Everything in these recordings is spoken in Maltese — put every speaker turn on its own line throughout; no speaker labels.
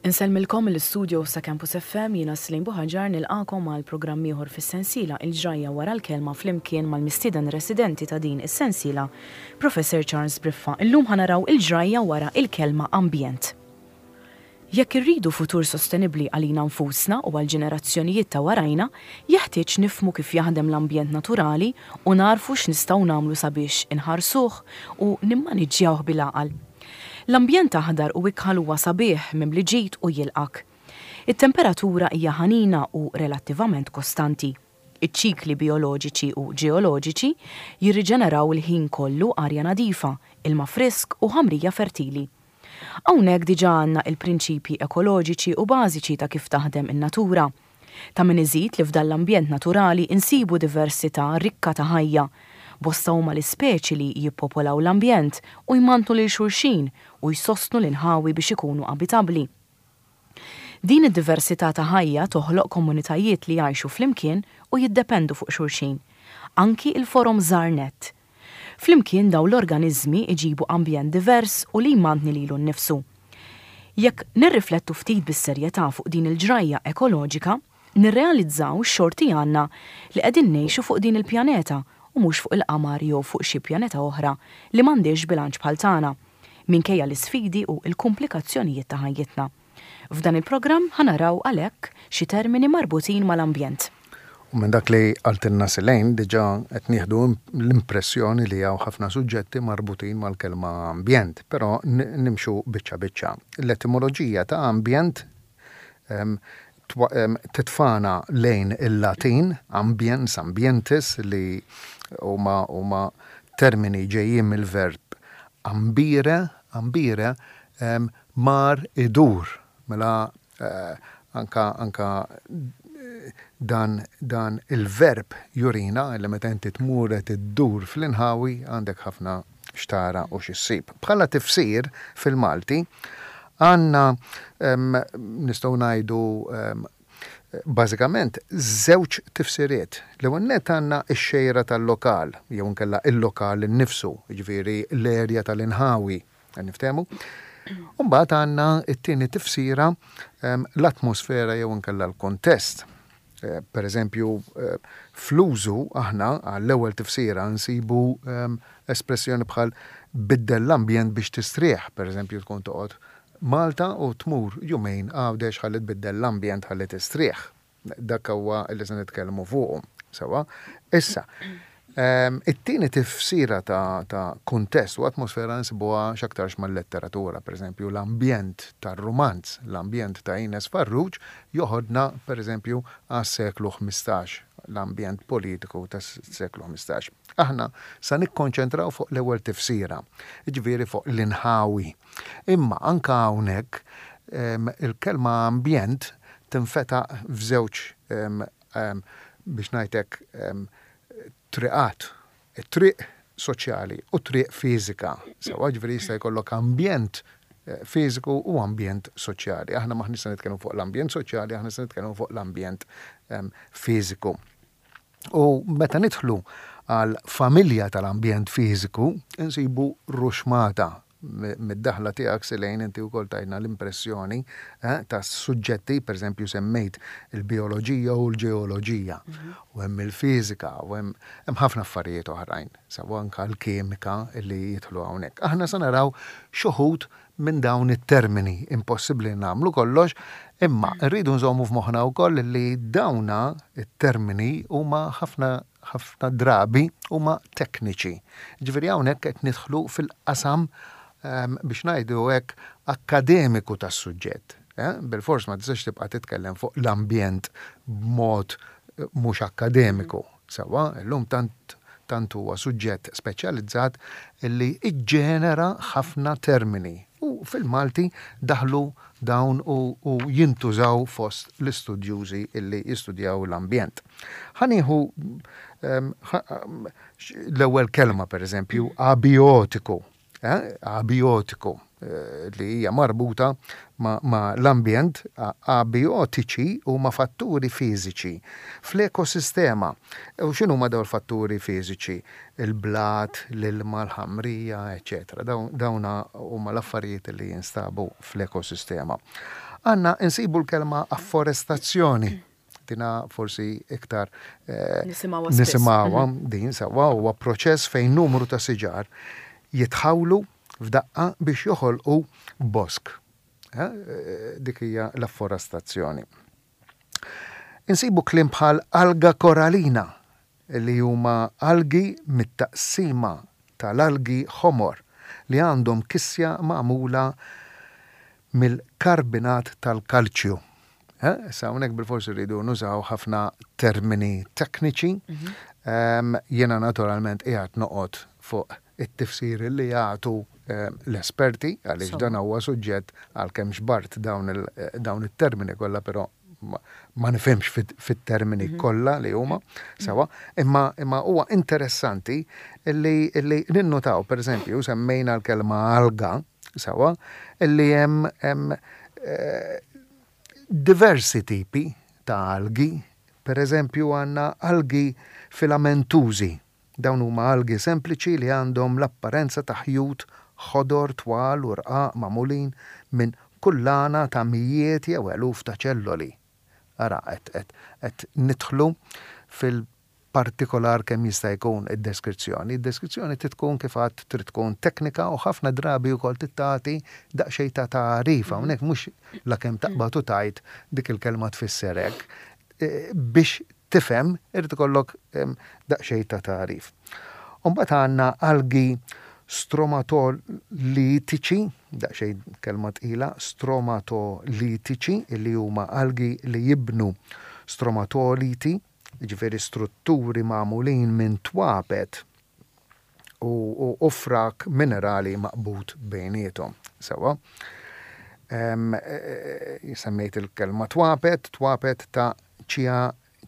Insellmilkom mill-istudios ta' Campus FM, jiena Celine Buhaġar nilqagħkom għal programm ieħor fis-sensiela Il-Ġrajja Wara l-Kelma flimkien mal-mistieden residenti ta' din is-sensiela, Professor Charles Briffa. Illum ħa naraw il-ġrajja wara il-kelma ambjent. Jekk irridu futur sostenibbli għalina nfusna u għall-ġenerazzjonijiet ta' warajna, jeħtieġ nifhmu kif jaħdem l-ambjent naturali u nagħrfu x'nistgħu nagħmlu sabiex inħarsuh u nimmaniġġjawh bil-għaqal. L-ambjent aħdar u ikħal huwa sabiħ, mimli ġid u jilqgħek. It-temperatura hija ħanina u relattivament kostanti. Iċ-ċikli bijoloġiċi u ġeoloġiċi jirriġeneraw il-ħin kollu arja nadifa, ilma frisk u ħamrija fertili. Hawnhekk diġà għandna il-prinċipji ekoloġiċi u bażiċi ta' kif taħdem in-natura. Ta' min iżid li f'dan l-ambjent naturali nsibu diversità rikka ta' ħajja. Bosta huma l-ispeċi li jippopolaw l-ambjent u jmantnu lil xulxin u jsostnu l-inħawi biex ikunu abitabbli. Din id-diversità ta' ħajja toħloq komunitajiet li jgħixu flimkien u jiddependu fuq xulxin. Anki l-forom żgħar nett. Flimkien dawn l-organiżmi jġibu ambjent divers u li jmantni lilu nnifsu. Jekk nirriflettu ftit bis-serjetà fuq din il-ġrajja ekoloġika, nirrealizzaw x'xorti għandna li qegħdin ngħixu fuq din il-pjaneta u mhux fuq il-qamar jew fuq xi pjaneta oħra li m'għandhiex bilanċ bħal tagħna, minkejja l-isfidi u l-kumplikazzjonijiet ta' ħajjitna. F'dan il-programm ħa naraw għalhekk xi termini marbutin mal-ambjent.
U minn dak li qaltilna Selaine diġà qed nieħdu l-impressjoni li hawn ħafna suġġetti marbutin mal-kelma ambjent, però nimxu biċċa biċċa. L-etimoloġija ta' ambjent titfagħna lejn il-Latin, ambiens, ambientis, li huma huma termini ġejjin mill-verb ambire, ambire mar idur. Mela anka anka dan dan il-verb jurina li meta inti tmur qed iddur fl-inħawi għandek ħafna x'tara u x'issib. Bħala tifsir fil-Malti għandna nistgħu ngħidu bażikament żewġ tifsiriet. L-ewwel nett għandna x-xejra tal-lokal jew inkella il-lokal innifsu, jiġifieri l-erja tal-inħawi. Qed niftehmu? U mbagħad għandna t-tieni tifsira l-atmosfera jew inkella l-kuntest. Per eżempju, fl-użu aħna għall-ewwel tifsira nsibu espressjoni bħal biddel l-ambjent biex tistrieħ, per eżempju tkun toqgħod Malta u tmur jumejn Għawdex ħalli tbiddel l-ambjent ħalli tistrieħ. Dak huwa li se nitkellmu fuqu. Sewwa? Issa, it-tieni tifsira ta' ta' kuntest u atmosfera nsibuha x'aktarx mal-letteratura, pereżempju l-ambjent tar-rumanz, l-ambjent ta' Ines Farrugia joħodna pereżempju għas-seklu 15, l-ambjent politiku tas-seklu 15. Aħna sa nikkonċentraw fuq l-ewwel tifsira, jiġifieri fuq l-inħawi. Imma anke hawnhekk il-kelma ambjent tinfetaq f'żewġ biex ngħid hekk triqat, it-triq soċjali u t-triq fiżika. Sewwa, jiġifieri jista' jkollok ambjent fiżiku u ambjent soċjali. Aħna m'aħniex se nitkellmu fuq l-ambjent soċjali, aħna se nitkellmu fuq l-ambjent fiżiku. U meta nidħlu għal familja tal-ambjent fiżiku, insibu ruxmata mid-daħla tiegħek Selaine inti wkoll tajtna l-impressjoni eh, ta' suġġetti, pereżempju semmejt il-bioloġija u l-ġeoloġija, u hemm il-fiżika, u hemm ħafna affarijiet oħrajn, sawa anka l-kimika li jidħlu hawnhekk. Aħna se naraw xi minn dawn it-termini, impossibbli nagħmlu kollox, imma rridu nżommu f'moħħna wkoll li dawna it-termini huma ħafna ħafna drabi huma tekniċi. Ġifieri hawnhekk qed nidħlu fil-qasam biex ngħidu hekk akkademiku tas-suġġett. Eh? Bilfors ma tistax tibqa' titkellem fuq l-ambjent b'mod eh, mhux akkademiku. Sewwa, illum tant tant huwa suġġett speċjalizzat li iġġenera ħafna termini u fil-Malti daħlu dawn u, u jintużaw fost l-istudjużi illi jistudjaw l-ambjent. Ħa nieħu l-ewwel kelma pereżempju abiotiku. Eh, abiotiku eh, li hija marbuta ma, ma l-ambjent abiotiċi huma fatturi fiżiċi fl-ekosistema. U x'inhu ma dawn fatturi fiżiċi? Il-blat, l-ilma, l-ħamrija, eċetera. Dawna huma l-affarijiet li jinstabu fl-ekosistema. Għandna insibu l-kelma afforestazzjoni. Dina forsi iktar eh, nisimgħuha mhm. din sewwa huwa proċess fejn numru ta' siġar jitħawlu f'daqqa biex joħolqu bosk. Eh, dik hija l-afforestazzjoni. Insibu kliem bħal alga koralina li huma algi mit-taqsima tal-algi ħomor li għandhom kisja magħmula mill-karbinat tal-kalċju. Issa hawnhekk bilfors irridu nużaw ħafna termini tekniċi. Jiena naturalment qiegħed noqgħod fuq it-tifsir li jagħtu l-esperti għaliex dan huwa suġġett għalkemm xbart dawn it-termini kollha però ma nifhimx fit-termini mhm. kollha li huma sewa, imma imma huwa interessanti li li ninnotaw pereżempju semmejna l-kelma alga sewa li hemm hemm eh, diversi tipi ta' algi, pereżempju għandna algi filamentużi. Dawn huma algi sempliċi li għandhom l-apparenza ta' ħjut ħodor twal u rqaq magħmulin minn kullana ta' mijiet jew eluf ta' ċelloli. Ara, qed qed qed nidħlu fil-partikolar kemm jista' jkun id-deskrizzjoni. Id-deskrizzjoni trid tkun kif għedt trid tkun teknika u ħafna drabi wkoll trid tagħti daqsxejn ta' tagħrif. Hawnhekk mhux lakemm taqbad u tgħid dik il-kelma tfisser hekk. Biex tifhem irid ikollok daqsxejn ta' tagħrif. U mbagħad għandna algi stromatolitiċi, daqsxejn kelma tqila, stromatolitiċi li huma algi li jibnu stromatoliti, jiġifieri strutturi magħmulin minn twapet u frak minerali maqbud bejniethom. Sewwa. Semmejt il-kelma twapet, twapet ta'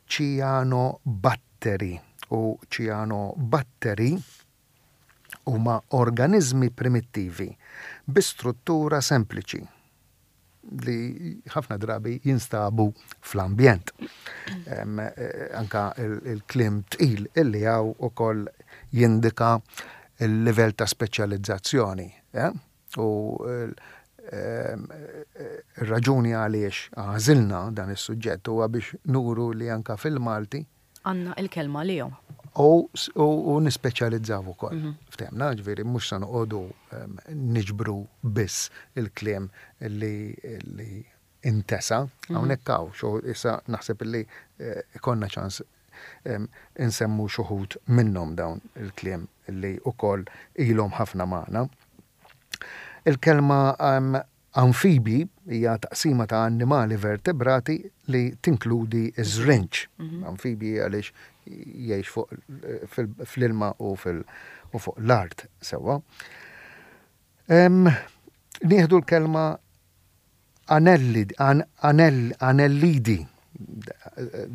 ċianobatteri u ċianobatteri huma organiżmi primittivi bi struttura sempliċi li ħafna drabi jinstabu fl-ambjent. Anka il-kliem tqil illi hawn ukoll jindika il-livell ta' speċjalizzazzjoni. U r-raġuni għaliex għażilna dan is-suġġett huwa biex nuru li anka fil-Malti
Għandna il-kelma għalihom.
U nispeċjalizzaw ukoll. Ftehmna, ġifieri mhux se noqogħdu niġbru biss il-kliem li intesa. Hawnhekk hawn xo issa naħseb illi ikollna ċans insemmu x'uħud minnhom dawn il-kliem li wkoll ilhom ħafna magħna. Il-kelma Anfibi hija taqsima ta' annimali vertebrati li tinkludi ż-żrinġ. Anfibi għaliex jgħix fuq fl-ilma u fuq l-art sewwa. Nieħdu l-kelma anellidi,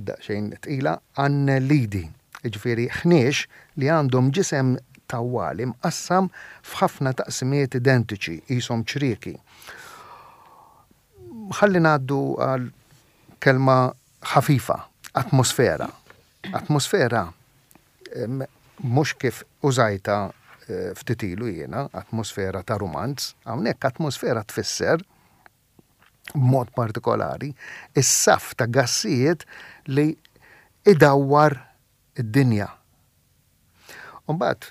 daqsxejn tqila, annelidi, jiġifieri ħniex li għandhom ġisem tawwali mqassam f'ħafna taqsimiet identiċi, qishom ċrieki. Ħalli ngħaddu għal kelma ħafifa, atmosfera. Atmosfera mhux kif użajtha ftit ilu jiena, atmosfera ta' rumanz, hawnhekk atmosfera tfisser b'mod partikolari, is-saff ta' gassijiet li idawwar id-dinja. U mbagħad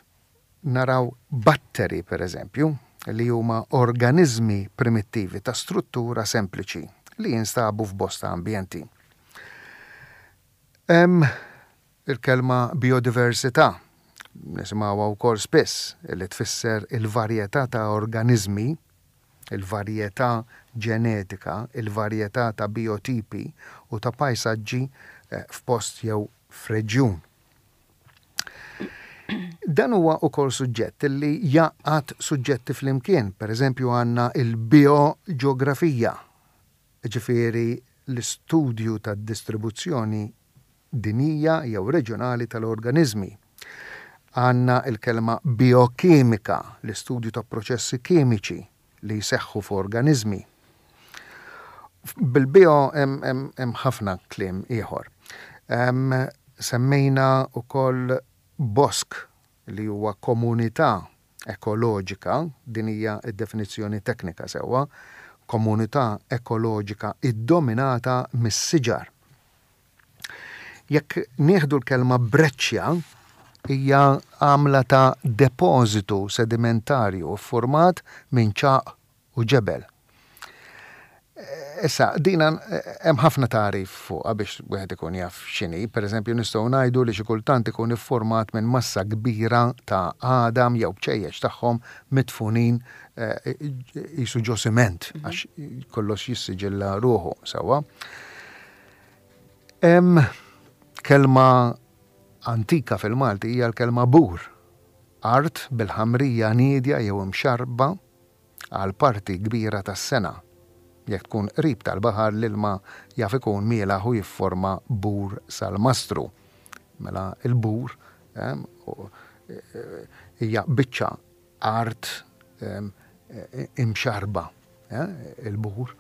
naraw batteri, per eżempju, li huma organiżmi primittivi ta' struttura sempliċi li jinstabu f'bosta ambjenti. Hemm il-kelma bijodiversità, nisimgħuha wkoll spiss, li tfisser il-varjetà ta' organiżmi il-varjetà ġenetika, il-varjetà ta' bijotipi u ta' pajsaġġi f'post jew f'reġjun. Dan huwa wkoll suġġett li jgħaqqad suġġetti flimkien, pereżempju għandna l-bijoġeografija, jiġifieri l-istudju tad-distribuzzjoni dinjija jew reġjonali tal-organiżmi. Għandna l-kelma bijokimika, l-istudju ta' proċessi kimiċi li jseħħu f'organiżmi. Bil-bio hemm ħafna kliem ieħor. Semmejna wkoll bosk li huwa komunità ekoloġika, din hija d-definizzjoni teknika sewwa, Komunità ekoloġika iddominata mis-siġar. Jekk nieħdu l-kelma breċċja, hija għamla ta' depożitu sedimentarju ffurmat minn ċagħaq u ġebel. Issa, dina hemm ħafna tagħrif fuqha biex wieħed ikun jaf x'inhi. Pereżempju, nistgħu ngħidu li xi kultant ikun iffurmat minn massa kbira ta' għadam jew bċejjeċ tagħhom midfunin qisu ġo siment għax kollox jissiġilla ruħu sewwa. Hemm kelma antika fil-Malti hija l-kelma bur, art bil-ħamrija niedja jew imxarrba għal parti kbira tas-sena. Jekk tkun qrib tal-baħar l-ilma jaf ikun mielaħ u jifforma bur salmastru. Mela l-bur hija biċċa art imxarrba. Il-bur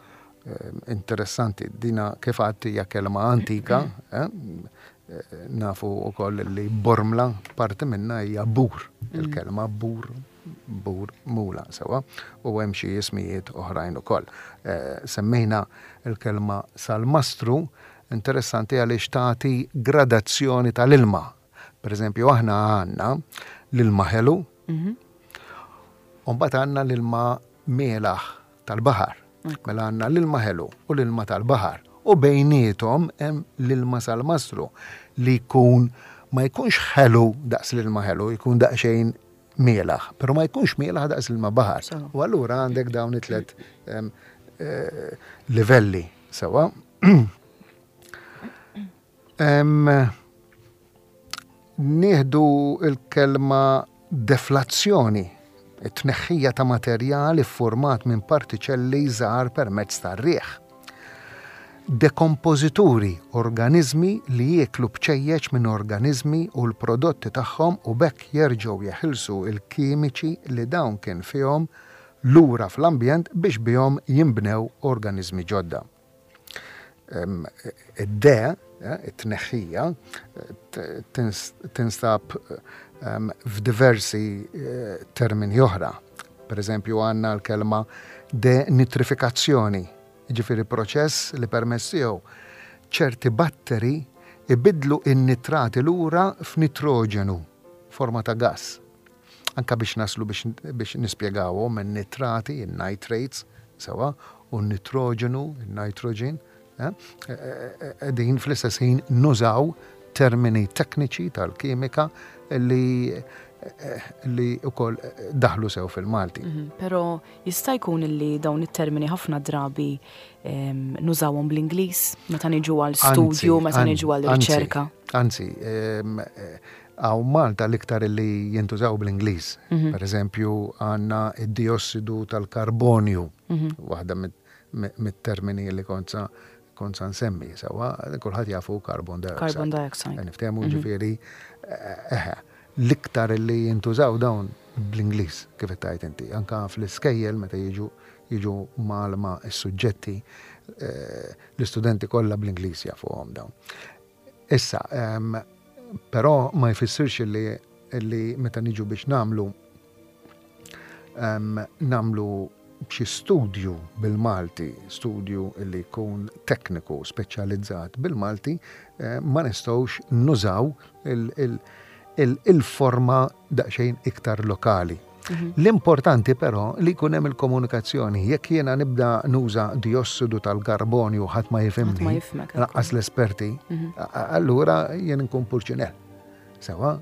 interessanti, dina kif għedt hija kelma antika, nafu wkoll li bormla parti minnha hija bur, il-kelma bur bur mula sewwa u hemm xi ismijiet oħrajn ukoll. Semmejna l-kelma salmastru, interessanti għaliex tagħti gradazzjoni tal-ilma. Per eżempju, aħna għandna l-ilma ħelu, u mbagħad għandna l-ilma mielaħ tal-baħar. Mela għandna l-ilma ħelu u l-ilma tal-baħar. U bejniethom hemm l-ilma salmastru li jkun ma jkunx ħelu daqs l-ilma ħelu, jkun daqsxejn mielaħ, però ma jkunx mielaħ daqs l-ilma baħar. U allura għandek dawn it-tlet eh, livelli sewa. Nieħdu l-kelma deflazzjoni, it-tneħħija ta' materjal iffurmat minn partiċelli żgħar permezz tar-riħ. Dekompożituri, organiżmi li jieklu bċejjeċ minn organiżmi u l-prodotti tagħhom u b'hekk jerġgħu jeħilsu l-kimiċi li dawn kien fihom lura fl-ambjent biex bihom jinbnew organiżmi ġodda. Id-de, it-tneħħija, tinstab f'diversi termini oħra. Per eżempju għandna l-kelma denitrifikazzjoni, jiġifieri proċess li permezz tiegħu ċerti batteri ibiddlu n-nitrati lura f'nitroġenu, forma ta' gass. Anke biex naslu biex nispjegawhom in-nitrati, in-nitrates, sewwa, u n-nitroġenu, in-nitrogen, qegħdin fl-istess ħin nużaw termini tekniċi tal-kimika li li wkoll daħlu sew fil-Malti.
Però jista' jkun li dawn it-termini ħafna drabi nużawhom bl-Ingliż meta niġu għal studju, meta niġu għal riċerka.
Anzi, Hawn Malta l-iktar li jintużaw bl-Ingliż. Per eżempju, għandna id-diossidu tal-karbonju, waħda mit-termini li kont sa kont sa nsemmi, sewwa, kulħadd jafu carbon dioxide.
Carbon dioxide.
Niftehmu ġifieri, eħe, l-iktar li jintużaw dawn bl-Ingliż, kif qed tgħid inti. Anka fl-iskejjel meta jiġu jiġu mgħallma s-suġġetti, l-istudenti kollha bl-Ingliż jafuhom dawn. Issa, però ma jfissirx li li meta niġu biex nagħmlu nagħmlu xi studju bil-Malti, studju li jkun tekniku speċjalizzat bil-Malti, eh, ma nistgħux nużaw il-forma daqsxejn iktar lokali. Mhm. L-importanti però li jkun hemm il-komunikazzjoni. Jekk jiena nibda nuża diossidu tal-karbonju ħadd ma jifhimni, lanqas l-esperti, mhm. allura jien nkun purċinell. Sewa,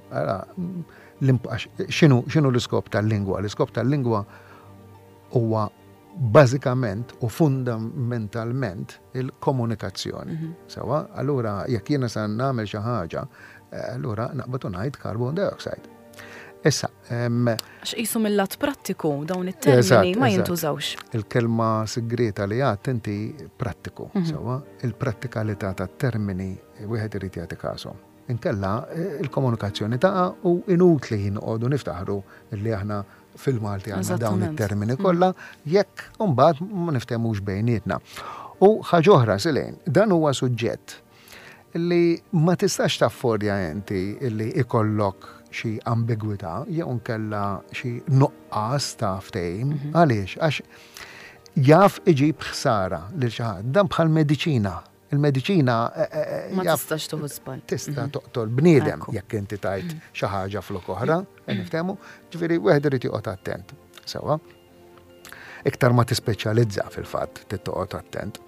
x'inhu l-iskop tal-lingwa? L-iskop tal-lingwa huwa bażikament u fundamentalment il-komunikazzjoni. Mhm. Sewa, allura jekk jiena sa nagħmel xi ħaġa, eh, allura naqbad u ngħid carbon dioxide. Issa,
Għax qisu mill-lat prattiku dawn it-termini ma jintużawx.
Il-kelma sigrieta li għadt inti prattiku, mhm. sewa, il-prattikalità tat-termini wieħed irid jagħti każhom. Inkella eh, il-komunikazzjoni taqa' u inutli nqogħdu niftaħru li aħna fil-Malti għandna dawn it-termini mm. kollha jekk imbagħad ma niftehmux bejnietna. U ħaġa oħra Silejn, dan huwa suġġett li ma tistax taffordja inti li ikollok xi ambigwità jew nkella xi nuqqas ta' ftehim. Mhm. Għaliex? Għax Jaf iġib ħsara lil xi ħadd. Dan bħal mediċina. Il-mediċina
Ma tistax tuħu żball.
Tista' mhm. toqtol bniedem jekk inti tajt mhm. xi ħaġa flok oħra, mhm. niftehmu, ġifieri wieħed irid joqgħod attent. Sewwa. Iktar ma tispeċjalizza fil-fatt tittoqgħod attent.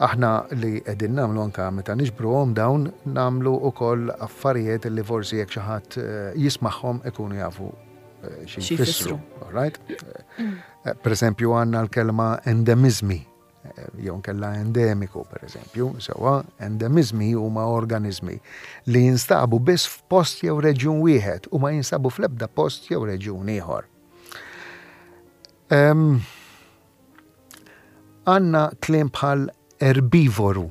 Aħna li qegħdin nagħmlu anke meta niġbruhom dawn nagħmlu wkoll affarijiet li forsi jekk xi ħadd eh, jismagħhom ikunu jafu eh, xi jfissru. Right? Eh, per eżempju għandna l-kelma endemizmi jew nkella endemiku, per eżempju, sewa, endemizmi huma organizmi li jinstabu biss f'post jew reġjun wieħed u ma jinstabu fl-ebda post jew reġjun ieħor. Għandna kliem bħal erbivoru.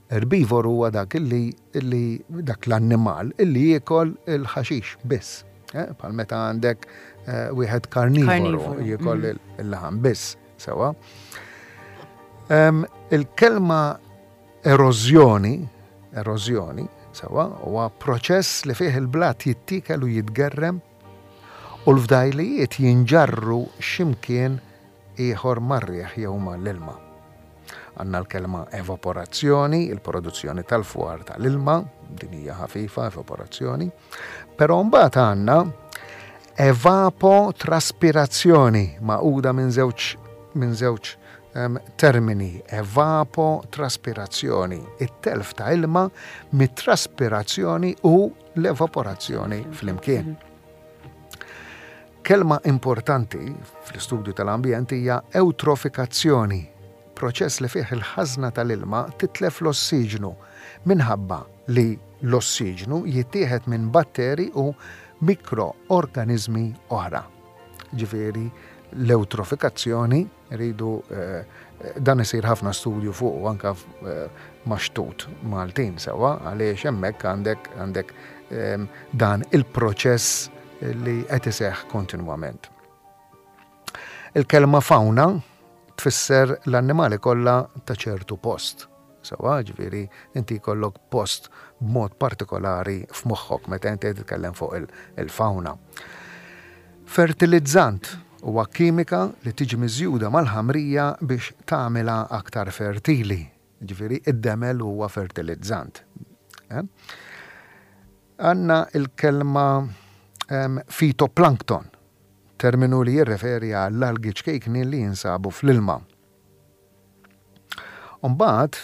Erbivoru huwa dak illi, illi dak l-annimal illi jiekol il-ħaxix biss. Eh, bħal meta għandek eh, wieħed karnivoru jiekol mm. il-laħam biss, sewa. Il-kelma erożjoni, erożjoni, sewa, huwa proċess li fih il-blat jittikel u jitgerrem u l-fdajlijiet jinġarru x'imkien ieħor mar-riħ jew ma' l-ilma. Għandna l-kelma evaporazzjoni, il-produzzjoni tal-fwar tal-ilma, din hija ħafifa evaporazzjoni, però mbagħad għandna evapotraspirazzjoni magħquda minn żewġ minn żewġ termini evapotraspirazzjoni, it-telf ta' ilma mit-traspirazzjoni u l-evaporazzjoni flimkien. Kelma importanti fl-istudju tal-ambjent hija ewtrofikazzjoni, proċess li fih il-ħażna tal-ilma titlef l-ossiġnu minħabba li l-ossiġnu jittieħed minn batteri u mikroorganiżmi oħra. Ġifieri l-ewtrofikazzjoni Iridu dan isir ħafna studju fuq anka ma' xtut Maltin sewwa għaliex hemmhekk għandek għandek dan il-proċess li qed iseħħ kontinwament. Il-kelma fauna tfisser l-annimali kollha ta' ċertu post. Sewwa, ġifieri inti jkollok post b'mod partikolari f'moħħok meta inti qed titkellem fuq il-fauna. Fertilizzant huwa kimika li tiġi miżjuda mal-ħamrija biex tagħmilha aktar fertili. Ġifieri id-demel huwa fertilizzant. Eh? Għandna il-kelma fitoplankton, terminu li jirreferi għall-algi ċkejknin li jinsabu fl-ilma. Umbagħad,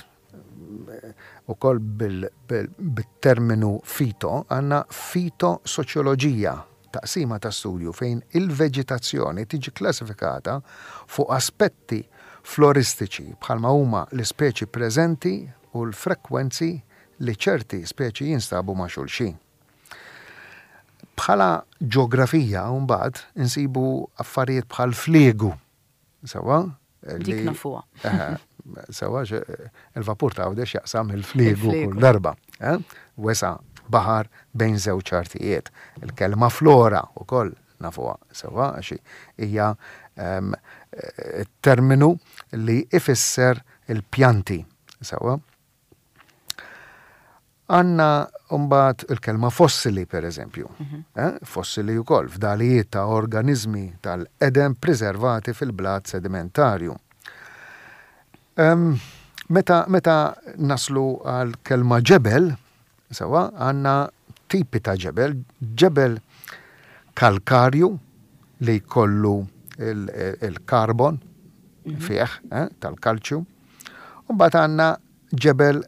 ukoll bit-terminu fito, għandna fitosoċjoloġija, taqsima ta' studju fejn il-veġitazzjoni tiġi kklassifikata fuq aspetti floristiċi bħalma huma l-ispeċi preżenti u l-frekwenzi li ċerti speċi jinstabu ma' xulxin. Bħala ġeografija mbagħad insibu affarijiet bħal fliegu, sewwa,
Dik nafuha.
Sewa, il-vapur ta' Għawdex jaqsam il-fliegu kull darba. Eh? Wesa baħar bejn żewġ artijiet. Il-kelma flora ukoll nafuha sewa għax hija ehm, terminu li ifisser il-pjanti. Sewa. Għandna mbagħad il-kelma fossili pereżempju. Eh, fossili wkoll, fdalijiet ta' organiżmi tal-qedem priservati fil-blat sedimentarju. Meta, meta naslu għal kelma ġebel, sewa, għandna tipi ta' ġebel, ġebel kalkarju li jkollu il-karbon fih, eh, tal-kalċju. U mbagħad għandna ġebel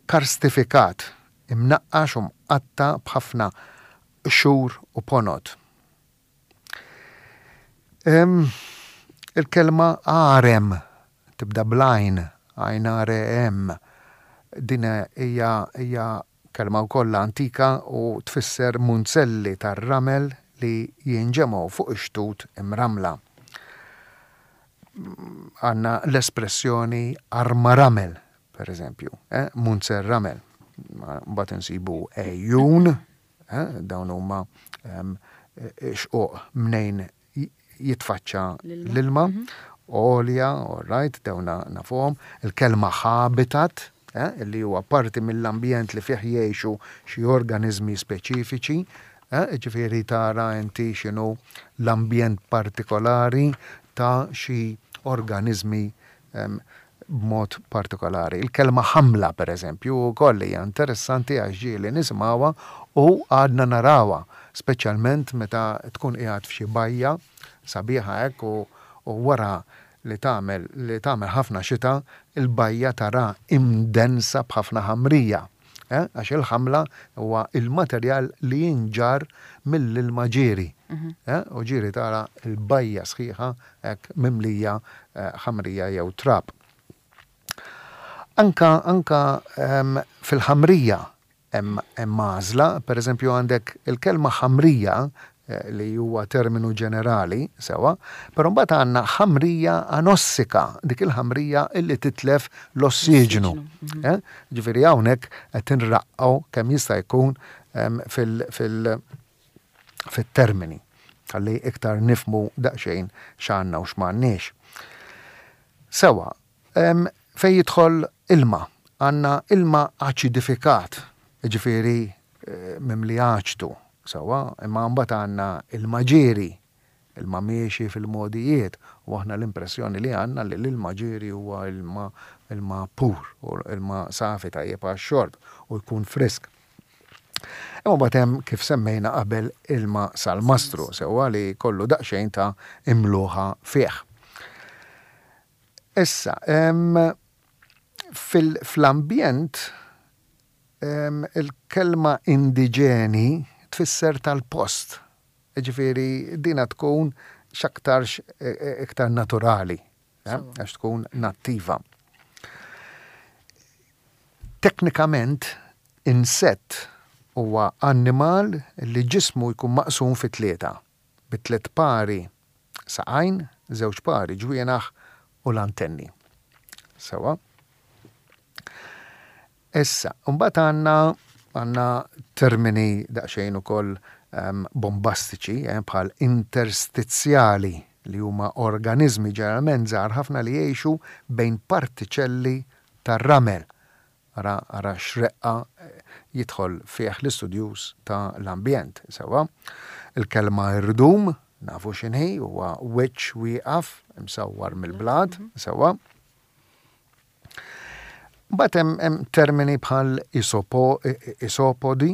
karstifikat, imnaqqax u mqatta' b'ħafna qxur u ponot. Il-kelma għarem tibda bl-għajn, għajn r e m. Din hija hija kelma wkoll antika u tfisser munzelli tar-ramel li jinġemgħu fuq ix-xtut imrammla. Għandna l-espressjoni arma ramel, per eżempju, eh, munzer ramel. Mbagħad insibu għejjun, eh, dawn huma ehm, xquq mnejn jitfaċċa l-ilma, mhm. olja, all right, dawn nafuhom, il-kelma habitat, eh, li huwa parti mill-ambjent li fih jgħixu xi organiżmi speċifiċi. Jiġifieri tara inti x'inhu l-ambjent partikolari ta' xi organiżmi b'mod partikolari. Il-kelma ħamla, pereżempju, wkoll hija interessanti għax ġieli nisimgħuha u għadna narawha, speċjalment meta tkun qiegħed f'xi bajja sabiħa hekk u wara li tagħmel li tagħmel ħafna xita, il-bajja taraha imdensa b'ħafna ħamrija. Għax il-ħamla huwa il-materjal li jinġarr mill-ilma ġieri. U ġieri tara l-bajja sħiħa hekk mimlija ħamrija jew trab. Anka anka fil-ħamrija hemm għażla, pereżempju għandek il-kelma ħamrija li huwa terminu ġenerali, sewwa, però mbagħad għandna ħamrija anossika, dik il-ħamrija illi titlef l-ossiġnu. Mhm. Eh? Ġifieri hawnhekk qed inraqqgħu kemm jista' jkun fil fit-termini ħalli iktar nifmu daqsxejn x'għandna u x'm'għandniex. Sewwa, fejn jidħol ilma, għandna ilma aċidifikat, jiġifieri mimli aċtu, sewwa, imma mbagħad għandna ilma ġieri, ilma miexi fil-mogħdijiet, u aħna l-impressjoni li għandna li l-ilma ġieri huwa ilma ilma pur, u ilma safi tajjeb għax-xorb u jkun frisk. Imma mbagħad hemm kif semmejna qabel ilma salmastru, sewwa li jkollu daqsxejn ta' imluħa fih. Issa, fl-ambjent il-kelma indiġeni tfisser tal-post. Jiġifieri dina tkun x'aktarx iktar naturali, għax tkun nattiva. Teknikament, insett huwa annimal li ġismu jkun maqsum fi tlieta, bi tliet pari saqajn, żewġ pari ġwienaħ u l-antenni. Sewwa. Issa, mbagħad għandna għandna termini daqsxejn ukoll ehm, bombastiċi eh, bħal interstizjali li huma organiżmi ġeneralment żgħar ħafna li jgħixu bejn partiċelli tar-ramel Ara, ara x'reqqa jidħol fih l-istudjuż ta' l-ambjent, sewwa. Il-kelma irdum, nafu x'inhi, huwa wiċċ wieqaf imsawwar mill-blat, sewwa. Mbagħad hemm hemm termini bħal isopo, isopodi,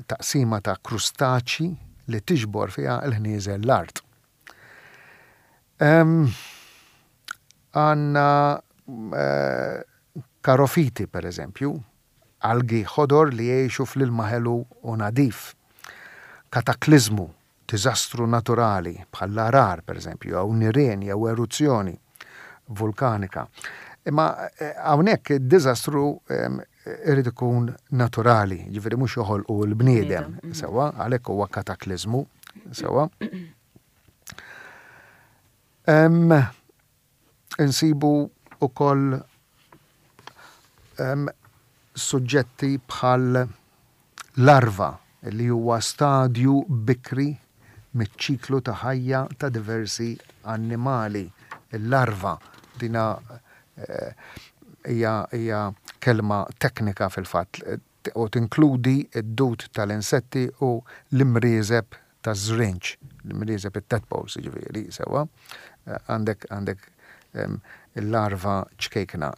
taqsima ta' krustaċji li tiġbor fiha l-ħnieżer l-art. Għandna karofiti, per eżempju, algi ħodor li jgħixu fl-ilma ħelu u nadif. Katakliżmu, diżastru naturali, bħall-għarar, per eżempju, jew nirien jew eruzzjoni vulkanika. Imma hawnhekk id-diżastru irid ikun naturali, jiġifieri mhux joħolqu l-bniedem, sewwa, għalhekk huwa katakliżmu, sewwa. Insibu wkoll suġġetti bħal larva li huwa stadju bikri miċ-ċiklu ta' ħajja ta' diversi annimali. Il-larva dina hija hija kelma teknika fil-fatt u tinkludi d-dud tal-insetti u l-imrieżeb taż-żrinġ, l-imrieżeb it-tadpoles jiġifieri, sewwa, għandek għandek il-larva ċkejkna,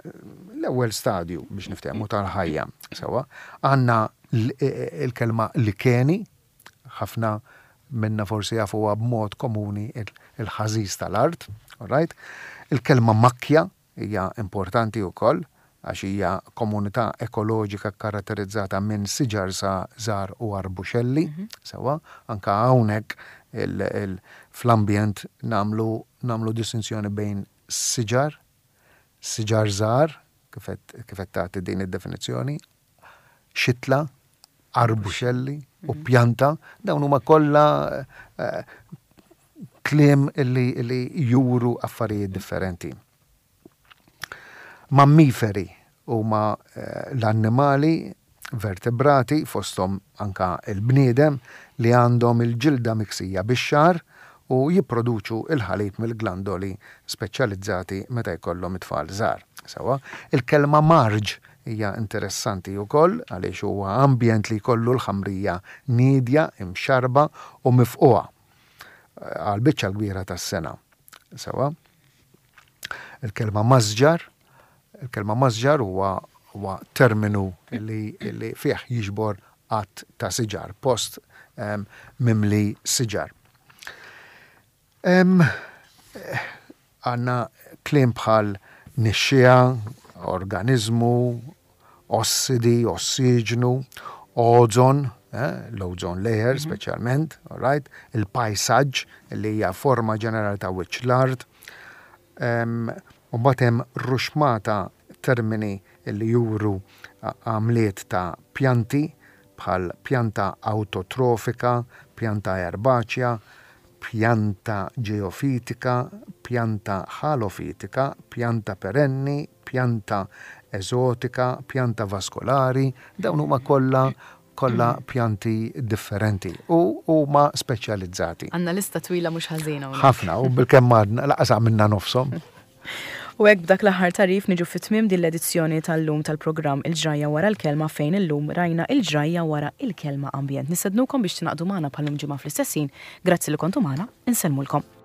l-ewwel stadju biex niftehmu tal-ħajja, sewwa. Għandna l-kelma likeni, ħafna minna forsi jafuha b'mod komuni il-ħażiż tal-art, all right? Il-kelma makkja, Hija importanti wkoll għax hija komunità ekoloġika kkaratterizzata minn siġar żgħar u arbuxelli, sewwa, anke hawnhekk fl-ambjent nagħmlu nagħmlu distinzjoni bejn siġar, siġar żgħar, kif qed kif qed tagħti din id-definizzjoni, xitla, arbuxelli u pjanta, dawn huma kollha kliem li juru affarijiet differenti. Mammiferi huma l-annimali vertebrati, fosthom anke l-bniedem, li għandhom il-ġilda miksija bix-xagħar u jipproduċu l-ħalib mill-glandoli speċjalizzati meta jkollhom it-tfal żgħar. Sewwa, il-kelma marġ. hija interessanti wkoll għaliex huwa ambjent li jkollu l-ħamrija niedja, imxarrba u mifqugħa għall-biċċa l-kbira tas-sena. Sewwa? Il-kelma masġar, il-kelma masġar huwa huwa terminu li, li fih jiġbor għadd ta' siġar, post um, mimli siġar. Għandna kliem bħal nixxiegħa, organiżmu, ossidi, ossiġnu, ozon, l-ozone layer speċjalment, all right, il-pajsaġġ li hija forma ġenerali ta' wiċċ l-art. U mbagħad hemm ruxmata termini li juru għamliet ta' pjanti bħal pjanta awtotrofika, pjanta erbaċja, pjanta ġeofitika, pjanta ħalofitika, pjanta perenni, pjanta eżotika, pjanta vaskolari, dawn huma kollha kollha pjanti differenti u huma speċjalizzati.
Għandna lista twila mhux ħażina
hawnhekk. Ħafna u bilkemm għadna laqas għamilna nofshom.
U hekk b'dak l-aħħar tagħrif niġu fi tmiem din l-edizzjoni tal-lum tal-programm Il-Ġrajja Wara l-Kelma fejn illum rajna il-ġrajja wara il-kelma ambjent. Nistednukom biex tingħaqdu magħna bħal-lum ġimgħa fl-istess ħin. Grazzi li kontu magħna, insellmulkom.